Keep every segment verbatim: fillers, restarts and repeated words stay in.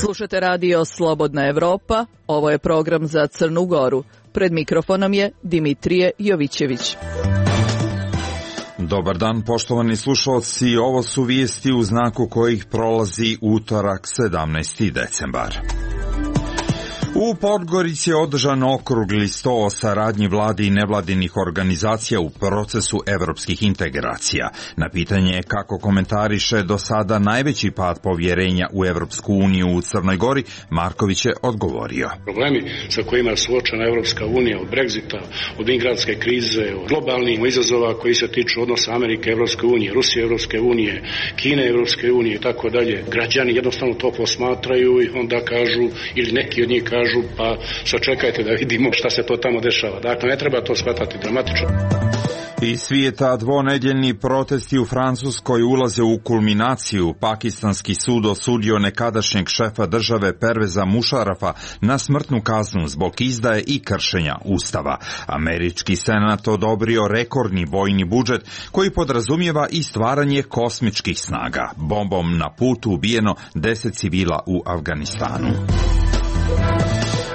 Slušate radio Slobodna Evropa, ovo je program za Crnu Goru. Pred mikrofonom je Dimitrije Jovićević. Dobar dan, poštovani slušalci, ovo su vijesti u znaku kojih prolazi utorak sedamnaesti decembar. U Podgorici je održan okrugli sto o saradnji vladi i nevladinih organizacija u procesu evropskih integracija. Na pitanje kako komentariše do sada najveći pad povjerenja u Evropsku uniju u Crnoj Gori, Marković je odgovorio. Problemi sa kojima je suočena Evropska unija, od Brexita, od migrantske krize, od globalnih izazova koji se tiču odnosa Amerike, Evropske unije, Rusije, Evropske unije, Kine, Evropske unije i tako dalje. Građani jednostavno to posmatraju i onda kažu, ili neki od njih kažu, pa sačekajte da vidimo šta se to tamo dešava. Dakle, ne treba to shvatati dramatično. Iz svijeta dvonedjeljni protesti u Francuskoj ulaze u kulminaciju. Pakistanski sud osudio nekadašnjeg šefa države Perveza Mušarafa na smrtnu kaznu zbog izdaje i kršenja ustava. Američki senat odobrio rekordni vojni budžet koji podrazumijeva i stvaranje kosmičkih snaga. Bombom na putu ubijeno deset civila u Afganistanu.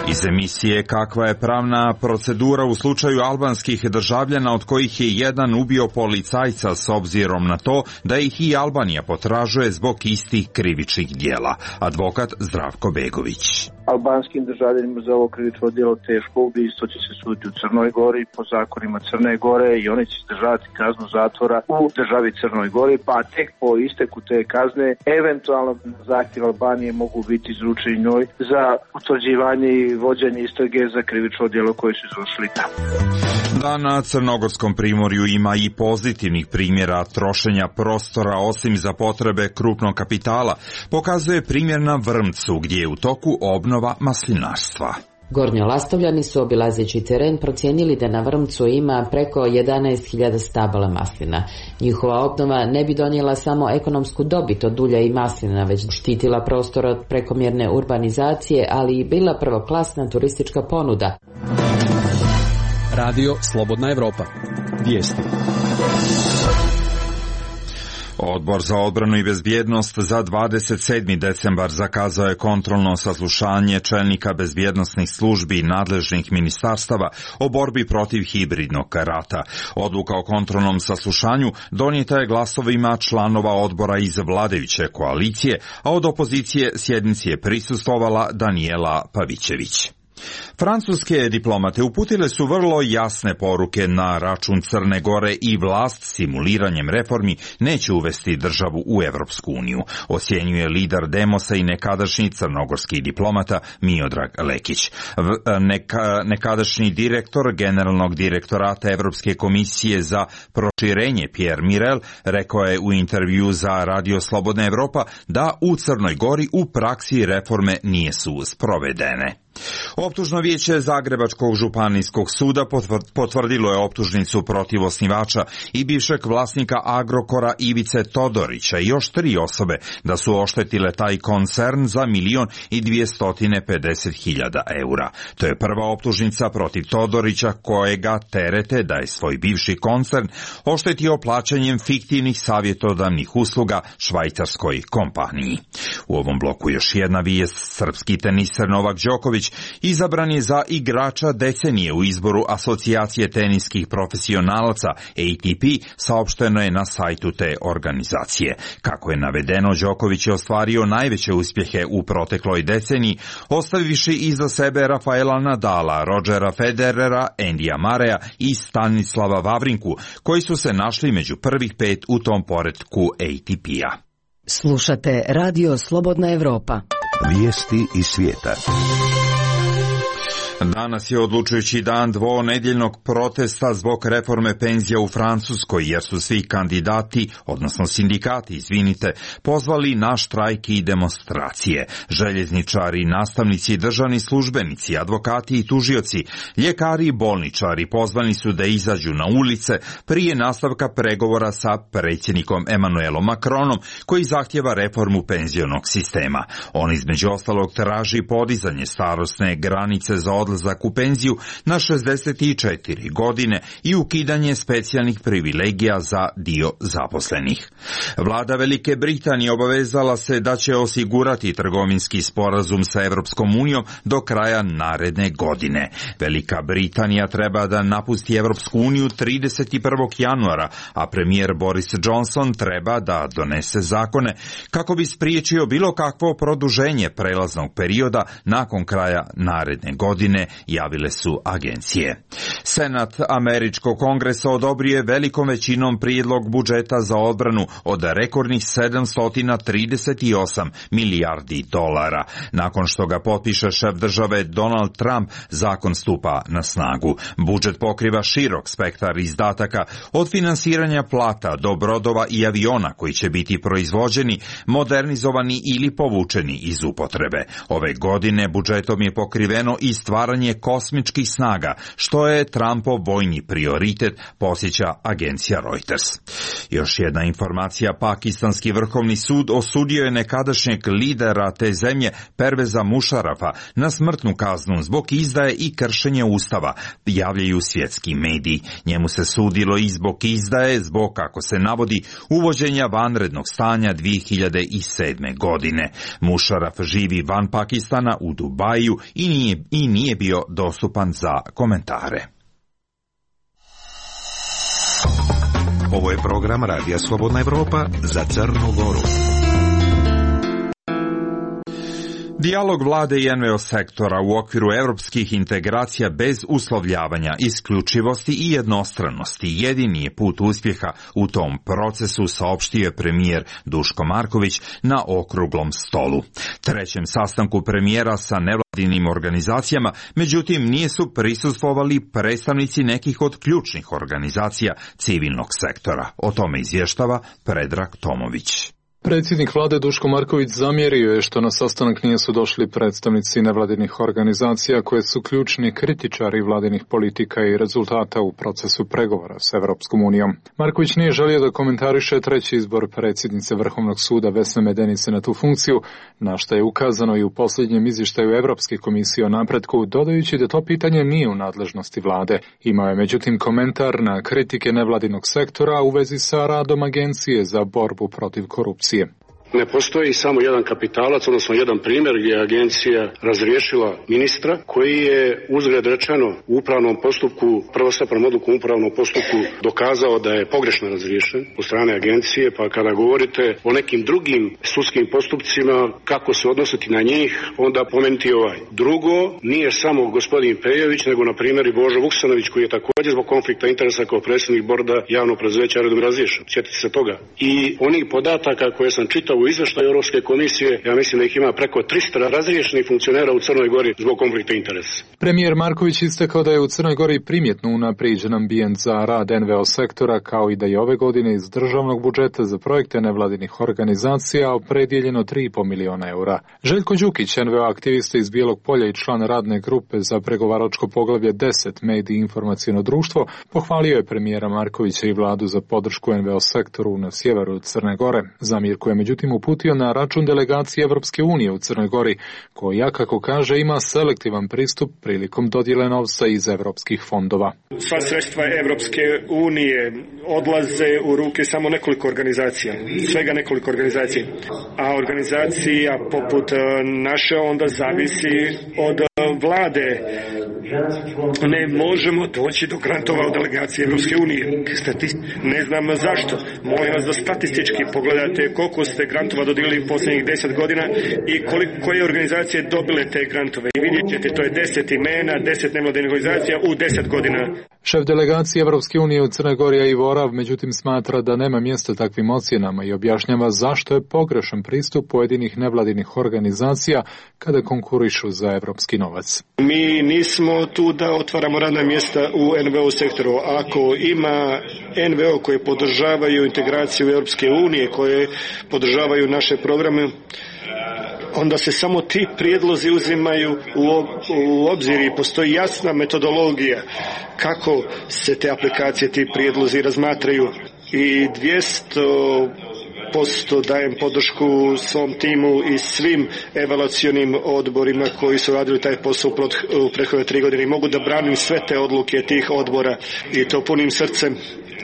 Iz emisije kakva je pravna procedura u slučaju albanskih državljana od kojih je jedan ubio policajca s obzirom na to da ih i Albanija potražuje zbog istih krivičnih djela. Advokat Zdravko Begović. Albanskim državljanima za ovo krivično djelo teško ubojstvo će se suditi u Crnoj Gori po zakonima Crne Gore i oni će izdržavati kaznu zatvora u državi Crnoj Gori, pa tek po isteku te kazne eventualno zahtjev Albanije mogu biti izručeni njoj za utvrđivanje i vođenje istrage za krivično djelo koje su izvršili tamo. Da, na Crnogorskom primorju ima i pozitivnih primjera trošenja prostora osim za potrebe krupnog kapitala, pokazuje primjer na Vrmcu gdje je u toku obnova maslinarstva. Gornjolastovljani su obilazeći teren procijenili da na Vrmcu ima preko jedanaest hiljada stabala maslina. Njihova obnova ne bi donijela samo ekonomsku dobit od ulja i maslina, već štitila prostor od prekomjerne urbanizacije, ali i bila prvoklasna turistička ponuda. Radio Slobodna Evropa. Vijesti. Odbor za odbranu i bezbjednost za dvadeset sedmi decembar zakazao je kontrolno saslušanje čelnika bezbjednosnih službi i nadležnih ministarstava o borbi protiv hibridnog rata. Odluka o kontrolnom saslušanju donijeta je glasovima članova odbora iz vladajuće koalicije, a od opozicije sjednici je prisustvovala Danijela Pavićević. Francuske diplomate uputile su vrlo jasne poruke na račun Crne Gore i vlast simuliranjem reformi neće uvesti državu u Evropsku uniju, ocjenjuje lider Demosa i nekadašnji crnogorski diplomata Miodrag Lekić. Neka, nekadašnji direktor Generalnog direktorata Evropske komisije za proširenje Pierre Mirel rekao je u intervju za Radio Slobodna Evropa da u Crnoj Gori u praksi reforme nisu sprovedene. Optužno vijeće Zagrebačkog županijskog suda potvrdilo je optužnicu protiv osnivača i bivšeg vlasnika Agrokora Ivice Todorića i još tri osobe da su oštetile taj koncern za milion i dvjesto pedeset hiljada eura. To je prva optužnica protiv Todorića kojega terete da je svoj bivši koncern oštetio plaćanjem fiktivnih savjetodavnih usluga švajcarskoj kompaniji. U ovom bloku još jedna vijest. Srpski teniser Novak Đoković izabran je za igrača decenije u izboru Asocijacije teniskih profesionalaca A T P, saopšteno je na sajtu te organizacije. Kako je navedeno, Đoković je ostvario najveće uspjehe u protekloj deceniji, ostavivši iza sebe Rafaela Nadala, Rodgera Federera, Endija Mareja i Stanislava Vavrinku, koji su se našli među prvih pet u tom poretku A T P-a. Slušate Radio Slobodna Evropa. Vijesti iz svijeta. Danas je odlučujući dan dvonedjeljnog protesta zbog reforme penzija u Francuskoj, jer su svi kandidati, odnosno sindikati, izvinite, pozvali na štrajk i demonstracije. Željezničari, nastavnici, državni službenici, advokati i tužioci, ljekari i bolničari pozvani su da izađu na ulice prije nastavka pregovora sa predsjednikom Emmanuelom Macronom, koji zahtjeva reformu penzionog sistema. On između ostalog traži podizanje starosne granice za odlazak odlazak u penziju na šezdeset četiri godine i ukidanje specijalnih privilegija za dio zaposlenih. Vlada Velike Britanije obavezala se da će osigurati trgovinski sporazum sa Evropskom unijom do kraja naredne godine. Velika Britanija treba da napusti Evropsku uniju trideset prvog januara, a premijer Boris Johnson treba da donese zakone kako bi spriječio bilo kakvo produženje prelaznog perioda nakon kraja naredne godine, javile su agencije. Senat Američkog kongresa odobrio je velikom većinom prijedlog budžeta za odbranu od rekordnih sedamsto trideset osam milijardi dolara. Nakon što ga potpiše šef države Donald Trump, zakon stupa na snagu. Budžet pokriva širok spektar izdataka od finansiranja plata do brodova i aviona koji će biti proizvođeni, modernizovani ili povučeni iz upotrebe. Ove godine budžetom je pokriveno i stvaranje kosmičkih snaga, što je Trumpov vojni prioritet, posjeća agencija Reuters. Još jedna informacija, pakistanski vrhovni sud osudio je nekadašnjeg lidera te zemlje Perveza Mušarafa na smrtnu kaznu zbog izdaje i kršenja ustava, javljaju svjetski mediji. Njemu se sudilo i zbog izdaje, zbog, kako se navodi, uvođenja vanrednog stanja dvije hiljade sedme. godine. Mušaraf živi van Pakistana u Dubaju i nije, i nije bio dostupan za komentare. Ovo je program Radija Slobodna Evropa za Crnu Goru. Dijalog vlade i en ve o sektora u okviru evropskih integracija bez uslovljavanja, isključivosti i jednostranosti jedini je put uspjeha u tom procesu, saopštio je premijer Duško Marković na okruglom stolu. Trećem sastanku premijera sa nevladinim organizacijama, međutim nije su prisustvovali predstavnici nekih od ključnih organizacija civilnog sektora. O tome izvještava Predrag Tomović. Predsjednik vlade Duško Marković zamjerio je što na sastanak nisu došli predstavnici nevladinih organizacija koje su ključni kritičari vladinih politika i rezultata u procesu pregovora s Evropskom unijom. Marković nije želio da komentariše treći izbor predsjednice Vrhovnog suda Vesne Medenice na tu funkciju, na što je ukazano i u posljednjem izvještaju Evropske komisije o napretku, dodajući da to pitanje nije u nadležnosti vlade. Imao je međutim komentar na kritike nevladinog sektora u vezi sa radom Agencije za borbu protiv korupcije. Ne postoji samo jedan kapitalac, odnosno jedan primjer gdje je agencija razriješila ministra koji je, uzgred rečeno, u upravnom postupku, prvostepenom odlukom u upravnom postupku dokazao da je pogrešno razriješen od strane agencije, pa kada govorite o nekim drugim sudskim postupcima, kako se odnositi na njih, onda pomenuti ovaj. Drugo, nije samo gospodin Pejović, nego na primjer i Božo Vuksanović koji je također zbog konflikta interesa kao predsjednik borda javnog preduzeća redom razriješen. Sjetite se toga. I onih podataka koje sam čitao u izvještaju Europske komisije, ja mislim da ih ima preko tristo razriješenih funkcionera u Crnoj Gori zbog konflikta interesa. Premijer Marković istakao da je u Crnoj Gori primjetno unaprijeđen ambijent za rad en ve o sektora, kao i da je ove godine iz državnog budžeta za projekte nevladinih organizacija opredjeljeno tri i pol miliona eura. Željko Đukić, en ve o aktivista iz Bijelog Polja i član radne grupe za pregovaračko poglavlje deset mediji i informaciono društvo, pohvalio je premijera Markovića i vladu za podršku en ve o sektoru na sjeveru Crne Gore. Zamjerku je međutim uputio na račun delegacije Evropske unije u Crnoj Gori, koja, kako kaže, ima selektivan pristup prilikom dodjele novca iz evropskih fondova. Sva sredstva Evropske unije odlaze u ruke samo nekoliko organizacija, svega nekoliko organizacija. A organizacija poput naše onda zavisi od vlade. Ne možemo doći do grantova od delegacije Evropske unije. Ne znam zašto. Molim vas da statistički pogledate koliko ste grantova dodijelili posljednjih deset godina i koliko, koje organizacije dobile te grantove. I vidjet ćete, to je deset imena, deset nevladinih organizacija u deset godina. Šef delegacije Evropske unije u Crnoj Gori Ivo Orav međutim smatra da nema mjesta takvim ocjenama i objašnjava zašto je pogrešan pristup pojedinih nevladinih organizacija kada konkurišu za evropski novac. Mi nismo tu da otvaramo radna mjesta u en ve o sektoru. Ako ima en ve o koje podržavaju integraciju Europske unije, koje podržavaju naše programe, onda se samo ti prijedlozi uzimaju u obzir i postoji jasna metodologija kako se te aplikacije, ti prijedlozi razmatraju. I dvjesto posto dajem podršku svom timu i svim evaluacionim odborima koji su radili taj posao u prethodne tri godine i mogu da branim sve te odluke tih odbora i to punim srcem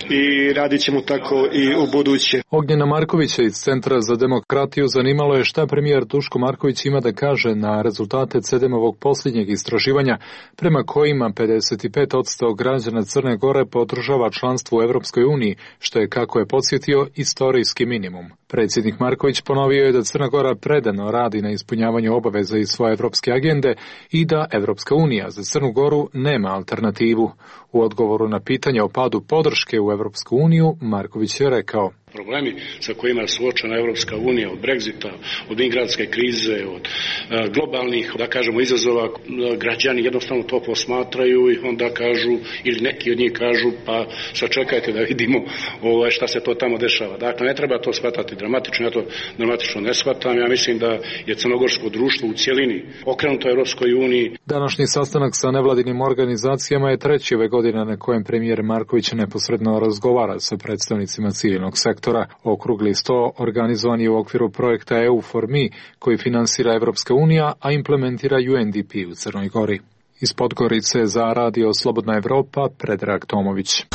i radit ćemo tako i u buduće. Ognjena Markovića iz Centra za demokratiju zanimalo je šta premijer Duško Marković ima da kaže na rezultate C D M-ovog posljednjeg istraživanja prema kojima pedeset pet posto građana Crne Gore podržava članstvo u Evropskoj uniji, što je, kako je podsjetio, istorijski minimum. Predsjednik Marković ponovio je da Crna Gora predano radi na ispunjavanju obaveza iz svoje evropske agende i da Evropska unija za Crnu Goru nema alternativu. U odgovoru na pitanje o padu podrške u Evropsku uniju, Marković je rekao: Problemi sa kojima je suočena Evropska unija, od Brexita, od migrantske krize, od e, globalnih, da kažemo, izazova, građani jednostavno to posmatraju i onda kažu, ili neki od njih kažu, pa sačekajte da vidimo ovaj, šta se to tamo dešava. Dakle, ne treba to shvatati dramatično, ja to dramatično ne shvatam. Ja mislim da je crnogorsko društvo u cjelini okrenuto Evropskoj uniji. Današnji sastanak sa nevladinim organizacijama je treći ove godine na kojem premijer Marković neposredno razgovara sa predstavnicima civilnog sektora. Okrugli sto organizovan je u okviru projekta E U for Me, koji finansira Evropska unija, a implementira U N D P u Crnoj Gori. Iz Podgorice za Radio Slobodna Evropa, Predrag Tomović.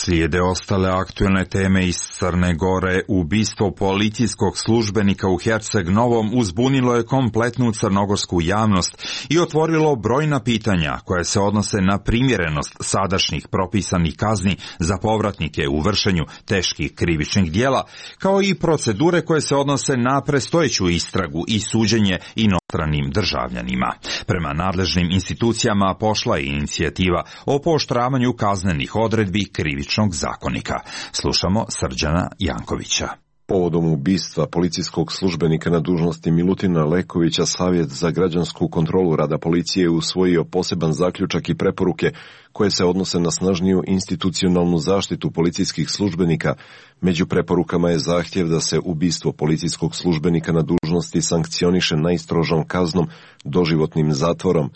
Slijede ostale aktuelne teme iz Crne Gore. Ubistvo policijskog službenika u Herceg Novom uzbunilo je kompletnu crnogorsku javnost i otvorilo brojna pitanja koja se odnose na primjerenost sadašnjih propisanih kazni za povratnike u vršenju teških krivičnih djela, kao i procedure koje se odnose na predstojeću istragu i suđenje inostranim državljanima. Prema nadležnim institucijama pošla je inicijativa o pooštravanju kaznenih odredbi krivičnog zakonika. Slušamo Srđana Jankovića. Povodom ubistva policijskog službenika na dužnosti Milutina Lekovića, Savjet za građansku kontrolu rada policije je usvojio poseban zaključak i preporuke koje se odnose na snažniju institucionalnu zaštitu policijskih službenika. Među preporukama je zahtjev da se ubistvo policijskog službenika na dužnosti sankcioniše najstrožom kaznom, doživotnim zatvorom.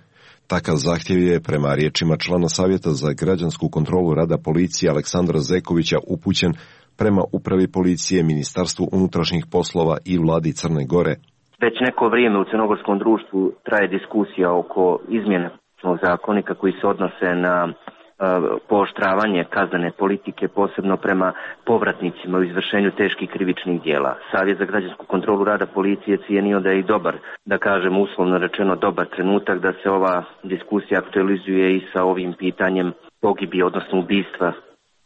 Takav zahtjev je, prema riječima člana Savjeta za građansku kontrolu rada policije Aleksandra Zekovića, upućen prema Upravi policije, Ministarstvu unutrašnjih poslova i Vladi Crne Gore. Već neko vrijeme u crnogorskom društvu traje diskusija oko izmjene zakonika koji se odnose na pooštravanje kaznene politike, posebno prema povratnicima u izvršenju teških krivičnih djela. Savjet za građansku kontrolu rada policije cijenio da je i dobar, da kažem uslovno rečeno dobar trenutak da se ova diskusija aktualizuje i sa ovim pitanjem pogibije, odnosno ubistva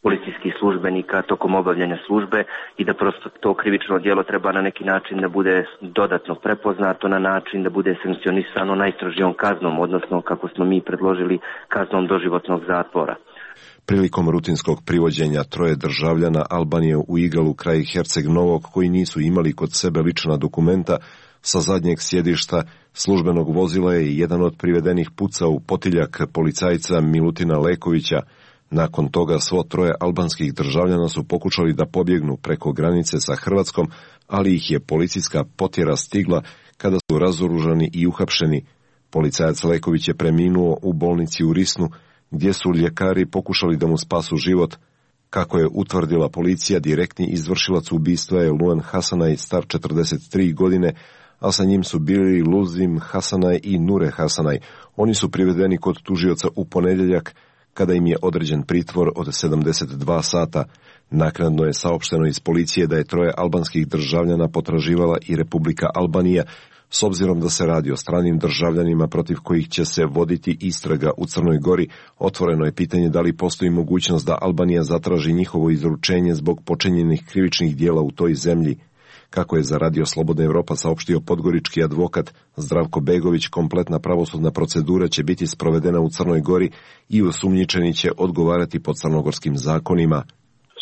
policijskih službenika tokom obavljanja službe i da prosto to krivično djelo treba na neki način da bude dodatno prepoznato na način da bude sankcionisano najstrožijom kaznom, odnosno kako smo mi predložili kaznom doživotnog zatvora. Prilikom rutinskog privođenja troje državljana Albanije u Igalu kraj Herceg Novog koji nisu imali kod sebe lična dokumenta, sa zadnjeg sjedišta službenog vozila je jedan od privedenih pucao u potiljak policajca Milutina Lekovića. Nakon toga svo troje albanskih državljana su pokušali da pobjegnu preko granice sa Hrvatskom, ali ih je policijska potjera stigla kada su razoružani i uhapšeni. Policajac Leković je preminuo u bolnici u Risnu, gdje su ljekari pokušali da mu spasu život. Kako je utvrdila policija, direktni izvršilac ubistva je Luan Hasanaj, star četrdeset tri godine, a sa njim su bili Luzim Hasanaj i Nure Hasanaj. Oni su privedeni kod tužioca u ponedjeljak, kada im je određen pritvor od sedamdeset dva sata. Naknadno je saopšteno iz policije da je troje albanskih državljana potraživala i Republika Albanija, s obzirom da se radi o stranim državljanima protiv kojih će se voditi istraga u Crnoj Gori. Otvoreno je pitanje da li postoji mogućnost da Albanija zatraži njihovo izručenje zbog počinjenih krivičnih djela u toj zemlji. Kako je za Radio Slobodna Evropa saopštio podgorički advokat Zdravko Begović, kompletna pravosudna procedura će biti sprovedena u Crnoj Gori i osumnjičeni će odgovarati po crnogorskim zakonima.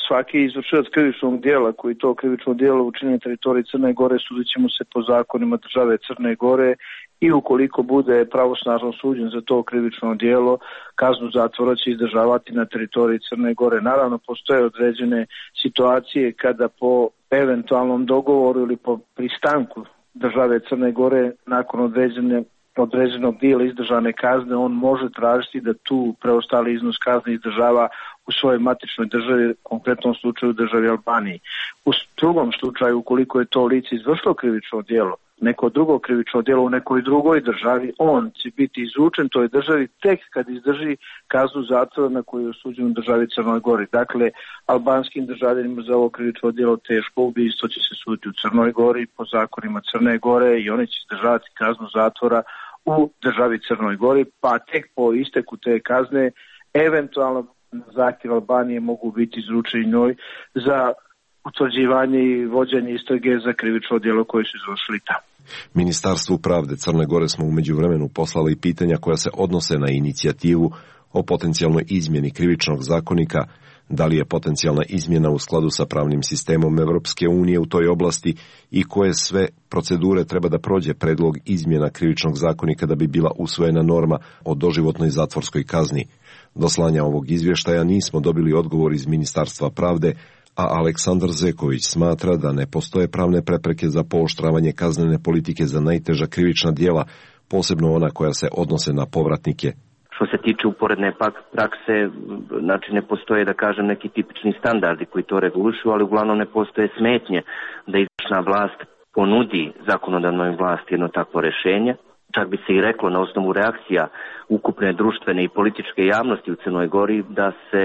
Svaki izvršilac krivičnog djela koji to krivično djelo učini na teritoriji Crne Gore sudit će mu se po zakonima države Crne Gore i ukoliko bude pravosnažno suđen za to krivično djelo, kaznu zatvora će izdržavati na teritoriji Crne Gore. Naravno, postoje određene situacije kada po eventualnom dogovoru ili po pristanku države Crne Gore nakon određene određenog dijela izdržane kazne, on može tražiti da tu preostali iznos kazne izdržava u svojoj matičnoj državi, u konkretnom slučaju državi Albaniji. U drugom slučaju, ukoliko je to lice izvršilo krivično djelo, neko drugo krivično djelo u nekoj drugoj državi, on će biti izručen toj državi tek kad izdrži kaznu zatvora na koju je osuđen u državi Crnoj Gori. Dakle, albanskim državljanima za ovo krivično djelo teško ubistvo će se suditi u Crnoj Gori po zakonima Crne Gore i oni će izdržavati kaznu zatvora u državi Crnoj Gori, pa tek po isteku te kazne eventualno na zahtjev Albanije mogu biti izručeni njoj za utvrđivanje i vođenje istrage za krivično djelo koje su izvršili tamo. Ministarstvu pravde Crne Gore smo u međuvremenu poslali pitanja koja se odnose na inicijativu o potencijalnoj izmjeni krivičnog zakonika, da li je potencijalna izmjena u skladu sa pravnim sistemom Evropske unije u toj oblasti i koje sve procedure treba da prođe predlog izmjena krivičnog zakonika da bi bila usvojena norma o doživotnoj zatvorskoj kazni. Do slanja ovog izvještaja nismo dobili odgovor iz Ministarstva pravde, a Aleksandar Zeković smatra da ne postoje pravne prepreke za pooštravanje kaznene politike za najteža krivična djela, posebno ona koja se odnose na povratnike. Što se tiče uporedne prakse, znači ne postoje, da kažem, neki tipični standardi koji to regulišu, ali uglavnom ne postoje smetnje da izvršna vlast ponudi zakonodavnoj vlasti jedno takvo rješenje. Čak bi se i reklo na osnovu reakcija ukupne društvene i političke javnosti u Crnoj Gori da se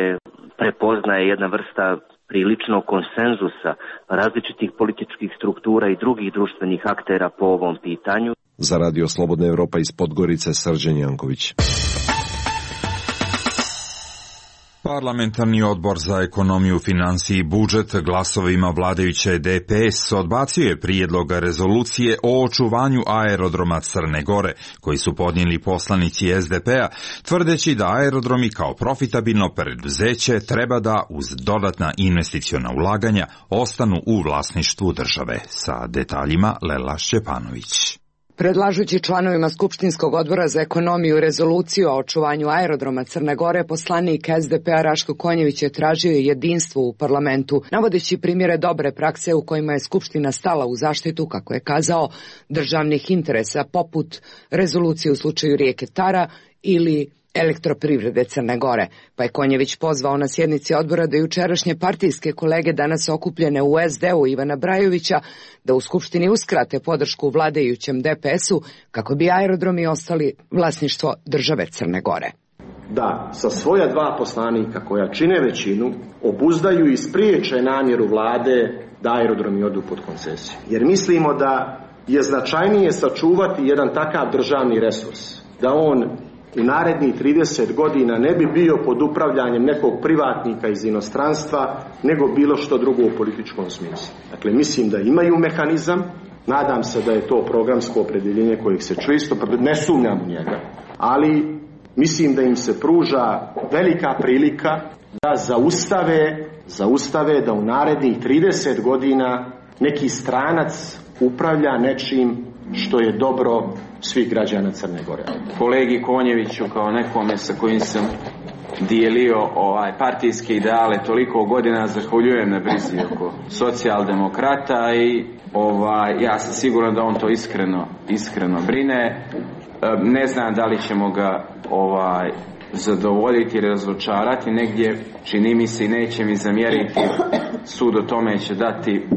prepoznaje jedna vrsta priličnog konsenzusa različitih političkih struktura i drugih društvenih aktera po ovom pitanju. Za Radio Slobodna Evropa iz Podgorice, Srđan Janković. Parlamentarni odbor za ekonomiju, financije i budžet glasovima vladajuće D P S odbacio je prijedlog rezolucije o očuvanju aerodroma Crne Gore, koji su podnijeli poslanici S D P-a, tvrdeći da aerodromi kao profitabilno preduzeće treba da uz dodatna investiciona ulaganja ostanu u vlasništvu države. Sa detaljima Lela Šćepanović. Predlažući članovima Skupštinskog odbora za ekonomiju rezoluciju o očuvanju aerodroma Crne Gore, poslanik S D P-a Raško Konjević je tražio jedinstvo u parlamentu, navodeći primjere dobre prakse u kojima je Skupština stala u zaštitu, kako je kazao, državnih interesa, poput rezolucije u slučaju rijeke Tara ili elektroprivrede Crne Gore, pa je Konjević pozvao na sjednici odbora da jučerašnje partijske kolege danas okupljene u S D-u Ivana Brajovića da u Skupštini uskrate podršku vladajućem D P S-u kako bi aerodromi ostali vlasništvo države Crne Gore. Da sa svoja dva poslanika koja čine većinu obuzdaju i spriječe namjeru vlade da aerodromi odu pod koncesiju. Jer mislimo da je značajnije sačuvati jedan takav državni resurs, da on u narednih trideset godina ne bi bio pod upravljanjem nekog privatnika iz inostranstva, nego bilo što drugo u političkom smislu. Dakle, mislim da imaju mehanizam, nadam se da je to programsko opredjeljenje kojeg se često, ne sumnjam u njega, ali mislim da im se pruža velika prilika da zaustave, zaustave da u narednih trideset godina neki stranac upravlja nečim što je dobro svih građana Crne Gore. Kolegi Konjeviću, kao nekome sa kojim sam dijelio ovaj partijske ideale toliko godina, zahvaljujem na brizi oko socijaldemokrata i ovaj, ja sam siguran da on to iskreno, iskreno brine. Ne znam da li ćemo ga ovaj, zadovoljiti ili razočarati, negdje čini mi se i neće mi zamjeriti, sud o tome će dati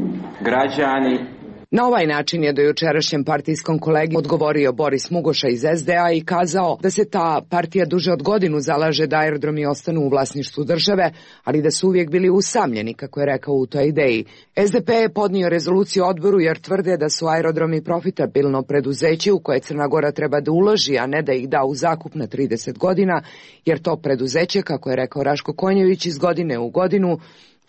građani. Na ovaj način je do jučerašnjem partijskom kolegi odgovorio Boris Mugoša iz S D-a i kazao da se ta partija duže od godinu zalaže da aerodromi ostanu u vlasništvu države, ali da su uvijek bili usamljeni, kako je rekao u toj ideji. S D P je podnio rezoluciju odboru jer tvrde da su aerodromi profitabilno preduzeće u koje Crna Gora treba da uloži, a ne da ih da u zakup na trideset godina, jer to preduzeće, kako je rekao Raško Konjević, iz godine u godinu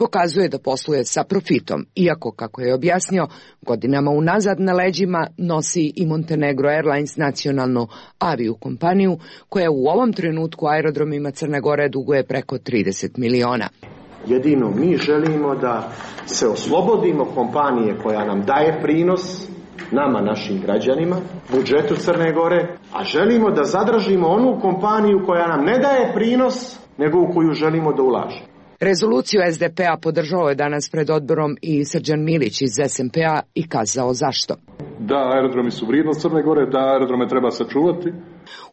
pokazuje da posluje sa profitom, iako, kako je objasnio, godinama unazad na leđima nosi i Montenegro Airlines, nacionalnu aviju kompaniju, koja u ovom trenutku aerodromima Crne Gore duguje preko trideset miliona. Jedino mi želimo da se oslobodimo kompanije koja nam daje prinos, nama, našim građanima, budžetu Crne Gore, a želimo da zadržimo onu kompaniju koja nam ne daje prinos, nego u koju želimo da ulaže. Rezoluciju S D P-a podržao je danas pred odborom i Srđan Milić iz S M P-a i kazao zašto. Da, aerodromi su vrijednost Crne Gore, da aerodrome treba sačuvati,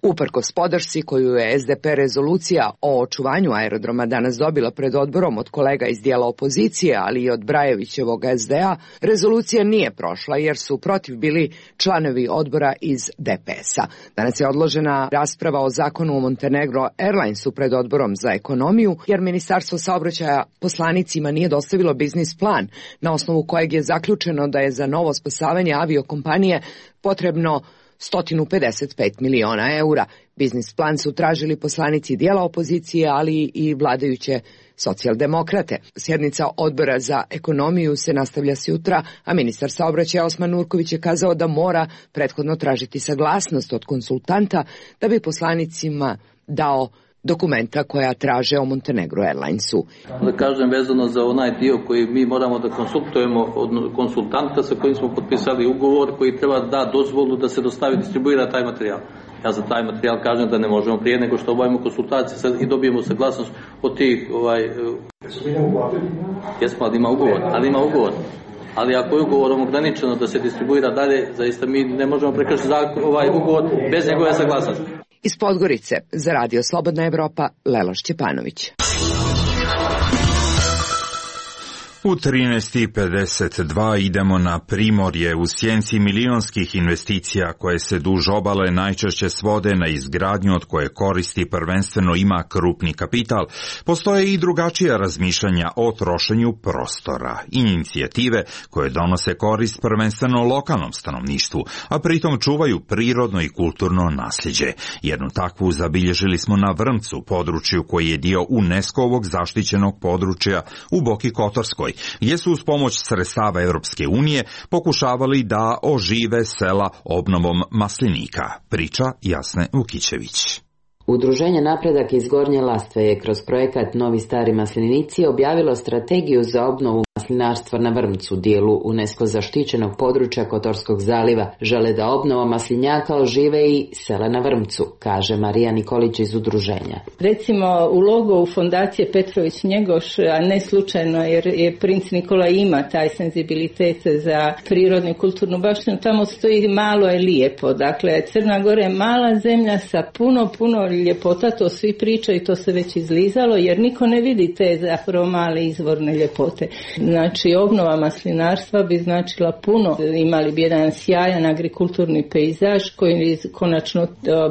Uprkos podršci koju je S D P rezolucija o očuvanju aerodroma danas dobila pred odborom od kolega iz dijela opozicije, ali i od Brajevićevog S D A, rezolucija nije prošla jer su protiv bili članovi odbora iz D P S-a. Danas je odložena rasprava o zakonu o Montenegro Airlinesu pred odborom za ekonomiju, jer Ministarstvo saobraćaja poslanicima nije dostavilo biznis plan, na osnovu kojeg je zaključeno da je za novo spasavanje aviokompanije potrebno sto pedeset pet miliona eura. Biznis plan su tražili poslanici dijela opozicije, ali i vladajuće socijaldemokrate. Sjednica odbora za ekonomiju se nastavlja sutra, a ministar saobraćaja Osman Nurković je kazao da mora prethodno tražiti saglasnost od konsultanta da bi poslanicima dao dokumenta koja traže o Montenegro Airlinesu. Da kažem vezano za onaj dio koji mi moramo da konsultujemo od konsultanta sa kojim smo potpisali ugovor koji treba da dozvolu da se dostavi, distribuira taj materijal. Ja za taj materijal kažem da ne možemo prije nego što obavimo konsultacije i dobijemo saglasnost od tih ovaj jesmo, ali ima ugovor, ali ima ugovor. Ali ako je ugovorom ograničeno da se distribuira dalje, zaista mi ne možemo prekršiti ovaj ugovor bez njegove saglasnosti. Iz Podgorice za Radio Slobodna Evropa, Leloš Ćepanović. U trinaest i pedeset dva idemo na Primorje. U sjenci milionskih investicija koje se duž obale najčešće svode na izgradnju od koje koristi prvenstveno ima krupni kapital, postoje i drugačija razmišljanja o trošenju prostora i inicijative koje donose korist prvenstveno lokalnom stanovništvu, a pritom čuvaju prirodno i kulturno nasljeđe. Jednu takvu zabilježili smo na Vrmcu, području koji je dio UNESCO-ovog zaštićenog područja u Boki Kotorskoj, gdje su uz pomoć sredstava Europske unije pokušavali da ožive sela obnovom maslinika. Priča Jasne Vukićević. Udruženje Napredak iz Gornje Lastve je kroz projekat Novi stari maslinici objavilo strategiju za obnovu maslinarstva na Vrmcu, dijelu UNESCO zaštićenog područja Kotorskog zaliva. Žele da obnova maslinjaka ožive i sela na Vrmcu, kaže Marija Nikolić iz udruženja. Recimo u logovu fondacije Petrović Njegoš, a ne slučajno jer je princ Nikola ima taj senzibilitet za prirodnu i kulturnu baštinu, tamo stoji malo je lijepo. Dakle, Crna Gora je mala zemlja sa puno, puno ljepota, to svi pričaju i to se već izlizalo, jer niko ne vidi te zapravo male izvorne ljepote. Znači, obnova maslinarstva bi značila puno. Imali bi jedan sjajan agrikulturni pejzaž koji konačno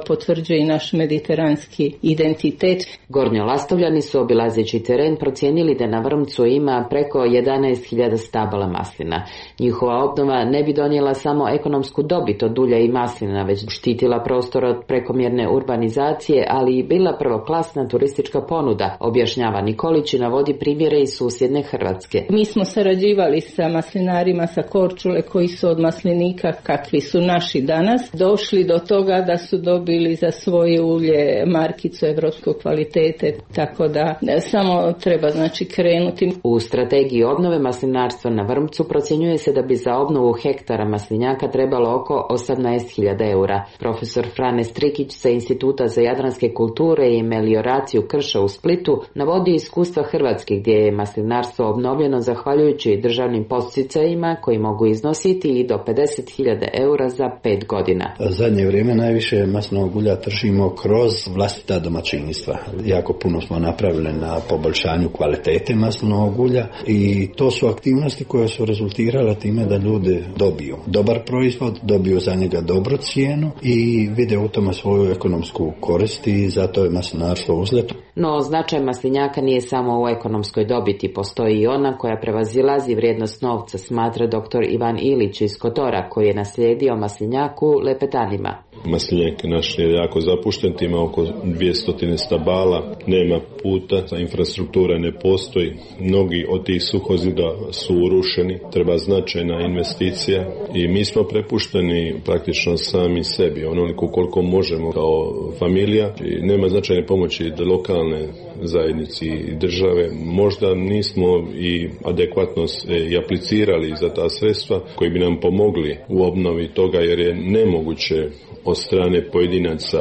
potvrđuje i naš mediteranski identitet. Gornjolastovljani su obilazeći teren procijenili da na Vrmcu ima preko jedanaest hiljada stabala maslina. Njihova obnova ne bi donijela samo ekonomsku dobit od ulja i maslina, već štitila prostor od prekomjerne urbanizacije, ali i bila prvoklasna turistička ponuda, objašnjava Nikolić i navodi primjere iz susjedne Hrvatske. Mi smo sarađivali sa maslinarima sa Korčule koji su od maslinika kakvi su naši danas došli do toga da su dobili za svoje ulje markicu evropskog kvalitete, tako da samo treba znači krenuti. U strategiji obnove maslinarstva na Vrmcu procjenjuje se da bi za obnovu hektara maslinjaka trebalo oko osamnaest hiljada eura. Profesor Frane Strikić sa Instituta za jadranske kulture i melioraciju krša u Splitu navodi iskustva Hrvatske gdje je maslinarstvo obnovljeno zahvaljujući državnim podsticajima koji mogu iznositi i do pedeset hiljada eura za pet godina. Zadnje vrijeme najviše maslinovog ulja tržimo kroz vlastita domaćinstva. Jako puno smo napravili na poboljšanju kvalitete maslinovog ulja i to su aktivnosti koje su rezultirale time da ljudi dobiju dobar proizvod, dobiju za njega dobru cijenu i vide u tome svoju ekonomsku korist i zato je maslinarstvo uzleto. No, značaj maslinjaka nije samo u ekonomskoj dobiti, postoji i ona koja prevazilazi vrijednost novca, smatra doktor Ivan Ilić iz Kotora, koji je naslijedio maslinjaku lepetanima. Maslinjak naš je jako zapušten, ima oko dvjesto stabala, nema puta, infrastruktura ne postoji, mnogi od tih suhozida su urušeni, treba značajna investicija i mi smo prepušteni praktično sami sebi, onoliko koliko možemo kao familija i nema značajne pomoći da lokalne lokalne zajednici i države. Možda nismo i adekvatno i aplicirali za ta sredstva koji bi nam pomogli u obnovi toga, jer je nemoguće od strane pojedinaca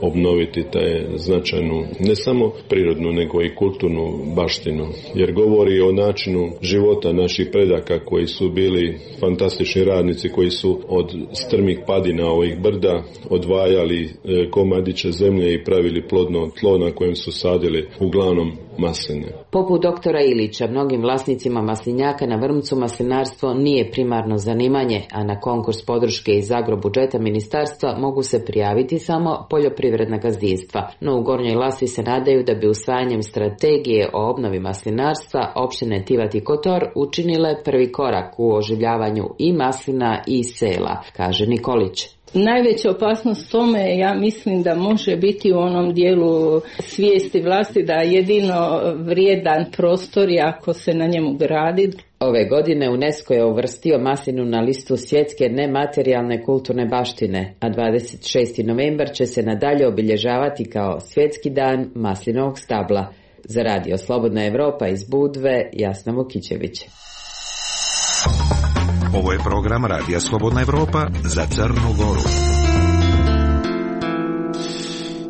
obnoviti taj značajnu, ne samo prirodnu, nego i kulturnu baštinu. Jer govori o načinu života naših predaka koji su bili fantastični radnici, koji su od strmih padina ovih brda odvajali komadiće zemlje i pravili plodno tlo na kojem su sadili uglavnom masline. Poput doktora Ilića, mnogim vlasnicima maslinjaka na Vrmcu maslinarstvo nije primarno zanimanje, a na konkurs podrške iz agrobudžeta ministarstva mogu se prijaviti samo poljoprivredna gazdinstva. No u Gornjoj Lasvi se nadaju da bi usvajanjem strategije o obnovi maslinarstva opštine Tivat i Kotor učinile prvi korak u oživljavanju i maslina i sela, kaže Nikolić. Najveća opasnost tome, ja mislim da može biti u onom dijelu svijesti vlasti da jedino vrijedan prostor je ako se na njemu gradi. Ove godine UNESCO je uvrstio maslinu na listu svjetske nematerijalne kulturne baštine, a dvadeset šesti novembar će se nadalje obilježavati kao svjetski dan maslinovog stabla. Za Radio Slobodna Evropa iz Budve, Jasna Vukićević. Ovo je program Radija Slobodna Evropa za Crnu Goru.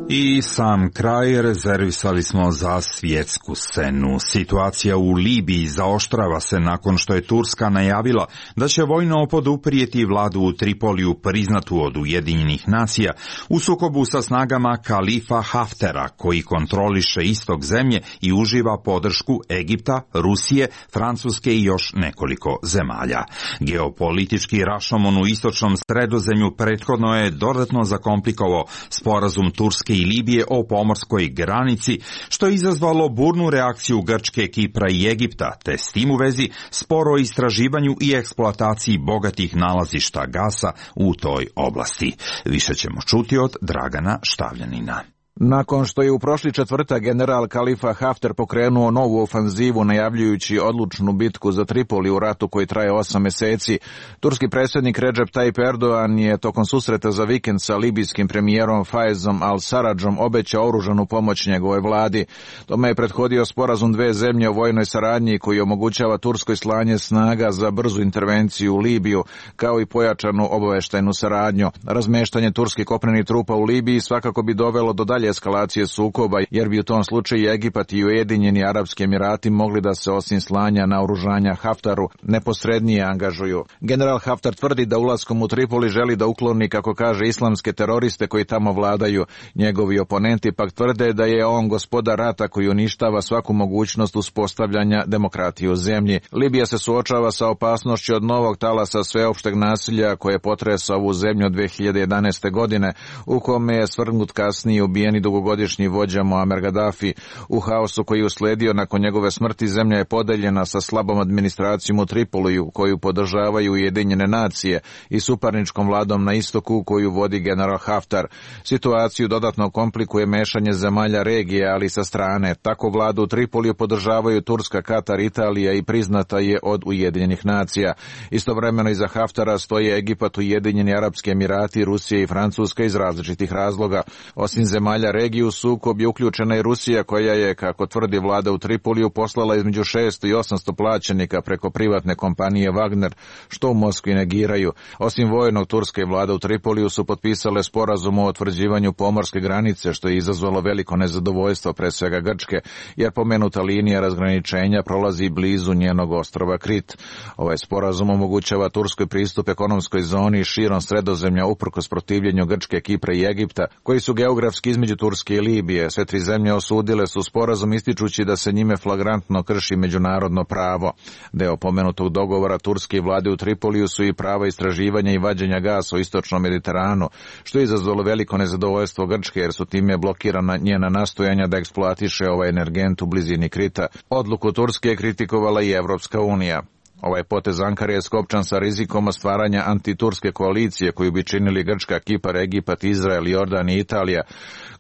I sam kraj rezervisali smo za svjetsku scenu. Situacija u Libiji zaoštrava se nakon što je Turska najavila da će vojno poduprijeti vladu u Tripoliju priznatu od Ujedinjenih nacija u sukobu sa snagama Kalifa Haftera, koji kontroliše istok zemlje i uživa podršku Egipta, Rusije, Francuske i još nekoliko zemalja. Geopolitički rašomon u istočnom Sredozemlju prethodno je dodatno zakomplikovao sporazum Turske i Libije o pomorskoj granici, što je izazvalo burnu reakciju Grčke, Kipra i Egipta, te s tim u vezi sporo istraživanju i eksploataciji bogatih nalazišta gasa u toj oblasti. Više ćemo čuti od Dragana Štavljanina. Nakon što je u prošli četvrtak general Kalifa Hafter pokrenuo novu ofanzivu najavljujući odlučnu bitku za Tripoli u ratu koji traje osam meseci, turski predsjednik Recep Tayyip Erdogan je tokom susreta za vikend sa libijskim premijerom Faezom al-Sarradžom obećao oružanu pomoć njegovoj vladi. Tome je prethodio sporazum dve zemlje o vojnoj saradnji koji omogućava Turskoj slanje snaga za brzu intervenciju u Libiju, kao i pojačanu obaveštajnu saradnju. Razmeštanje turskih kopnenih trupa u Libiji svakako bi dovelo do dalje eskalacije sukoba, jer bi u tom slučaju Egipat i Ujedinjeni Arapski Emirati mogli da se osim slanja naoružanja Haftaru neposrednije angažuju. General Haftar tvrdi da ulaskom u Tripoli želi da ukloni, kako kaže, islamske teroriste koji tamo vladaju. Njegovi oponenti pak tvrde da je on gospodar rata koji uništava svaku mogućnost uspostavljanja demokratije u zemlji. Libija se suočava sa opasnošću od novog talasa sveopšteg nasilja koje potresa ovu zemlju od dve hiljade jedanaeste. godine, u kome je svrgnut kasnije ubijen i dugogodišnji vođa Muammar Gaddafi. U haosu koji je usledio nakon njegove smrti zemlja je podeljena sa slabom administracijom u Tripoliju koju podržavaju Ujedinjene nacije i suparničkom vladom na istoku koju vodi general Haftar. Situaciju dodatno komplikuje mešanje zemalja regije, ali sa strane. Tako vladu u Tripoliju podržavaju Turska, Katar, Italija i priznata je od Ujedinjenih nacija. Istovremeno iza Haftara stoje Egipat, Ujedinjeni Arapski Emirati, Rusija i Francuska iz različitih razloga. Osim zemalja regiju sukob je uključena i Rusija, koja je, kako tvrdi vlada u Tripoliju, poslala između šesto i osamsto plaćenika preko privatne kompanije Wagner, što u Moskvi negiraju. Osim vojnog, Turska i vlada u Tripoliju su potpisale sporazum o utvrđivanju pomorske granice, što je izazvalo veliko nezadovoljstvo pre svega Grčke, jer pomenuta linija razgraničenja prolazi blizu njenog ostrva Krit. Ovaj sporazum omogućava Turskoj pristup ekonomskoj zoni širom Sredozemlja uprkos protivljenju Grčke, Kipra i Egipta, koji su geografski između Turske i Libije. Sve tri zemlje osudile su sporazum ističući da se njime flagrantno krši međunarodno pravo. Deo pomenutog dogovora Turske i vlade u Tripoliju su i prava istraživanja i vađenja gasa u istočnom Mediteranu, što je izazvalo veliko nezadovoljstvo Grčke, jer su time blokirana njena nastojanja da eksploatiše ovaj energent u blizini Krita. Odluku Turske je kritikovala i Evropska unija. Ovaj potez Ankare je skopčan sa rizikom stvaranja antiturske koalicije koju bi činili Grčka, Kipar, Egipat, Izrael, Jordan i Italija,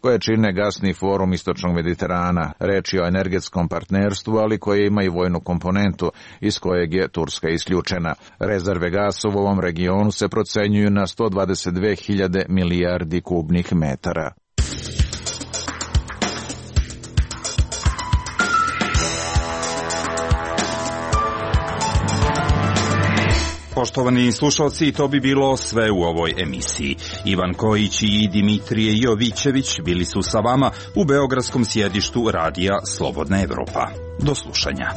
koje čine gasni forum istočnog Mediterana. Reč je o energetskom partnerstvu, ali koje ima i vojnu komponentu, iz kojeg je Turska isključena. Rezerve gasa u ovom regionu se procenjuju na sto dvadeset dve hiljade milijardi kubnih metara. Poštovani slušalci, to bi bilo sve u ovoj emisiji. Ivan Kojić i Dimitrije Jovićević bili su sa vama u beogradskom sjedištu radija Slobodna Evropa. Do slušanja.